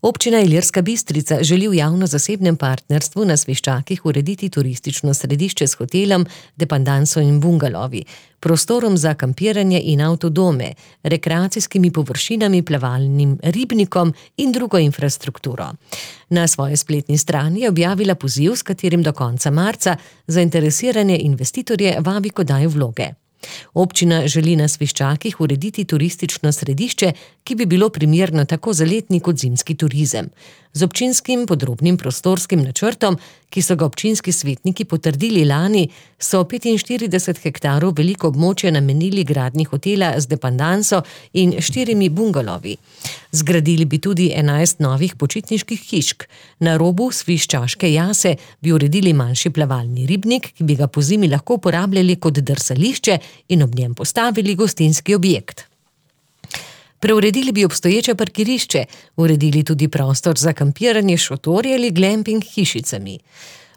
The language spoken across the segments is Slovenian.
Občina Ilirska Bistrica želi v javno-zasebnem partnerstvu na Sveščakih urediti turistično središče s hotelom, depandanso in bungalovi, prostorom za kampiranje in avtodome, rekreacijskimi površinami, plavalnim ribnikom in drugo infrastrukturo. Na svoji spletni strani je objavila poziv, s katerim do konca marca zainteresirane investitorje vabi k oddaji vloge. Občina želi na Sveščakih urediti turistično središče, ki bi bilo primerno tako za letni kot zimski turizem. Z občinskim podrobnim prostorskim načrtom, ki so ga občinski svetniki potrdili lani, so 45 hektarov veliko območje namenili gradnji hotela z depandanso in 4 bungalovi. Zgradili bi tudi 11 novih počitniških hišk. Na robu Sviščaške jase bi uredili manjši plavalni ribnik, ki bi ga pozimi lahko uporabljali kot drsališče in ob njem postavili gostinski objekt. Preuredili bi obstoječe parkirišče, uredili tudi prostor za kampiranje s šotorji ali glamping hišicami.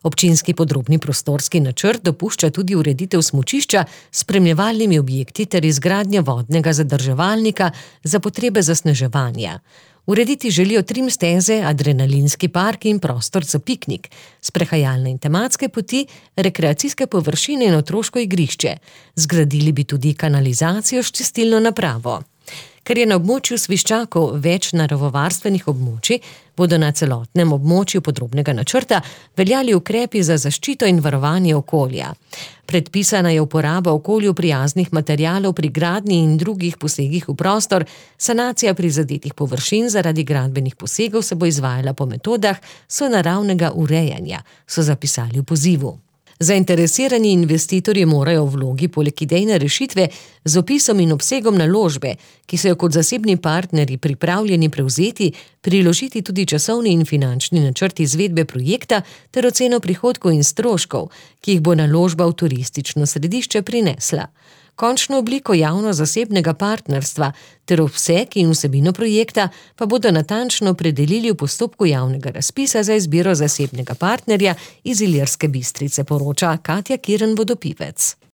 Občinski podrobni prostorski načrt dopušča tudi ureditev smučišča s spremljevalnimi objekti ter izgradnjo vodnega zadrževalnika za potrebe zasneževanja. Urediti želijo trim steze, adrenalinski park in prostor za piknik, sprehajalne in tematske poti, rekreacijske površine in otroško igrišče. Zgradili bi tudi kanalizacijo s čistilno napravo. Ker je na območju Sviščakov več naravovarstvenih območij, bodo na celotnem območju podrobnega načrta veljali ukrepi za zaščito in varovanje okolja. Predpisana je uporaba okolju prijaznih materialov pri gradnji in drugih posegih v prostor, sanacija prizadetih površin zaradi gradbenih posegov se bo izvajala po metodah sonaravnega urejanja, so zapisali v pozivu. Zainteresirani investitorji morajo v vlogi poleg idejne rešitve z opisom in obsegom naložbe, ki so jo kot zasebni partnerji pripravljeni prevzeti, priložiti tudi časovni in finančni načrt izvedbe projekta ter oceno prihodkov in stroškov, ki jih bo naložba v turistično središče prinesla. Končno obliko javno-zasebnega partnerstva ter obseg in vsebino projekta pa bodo natančno opredelili v postopku javnega razpisa za izbiro zasebnega partnerja iz Ilirske Bistrice, poroča Katja Kirn Vodopivec.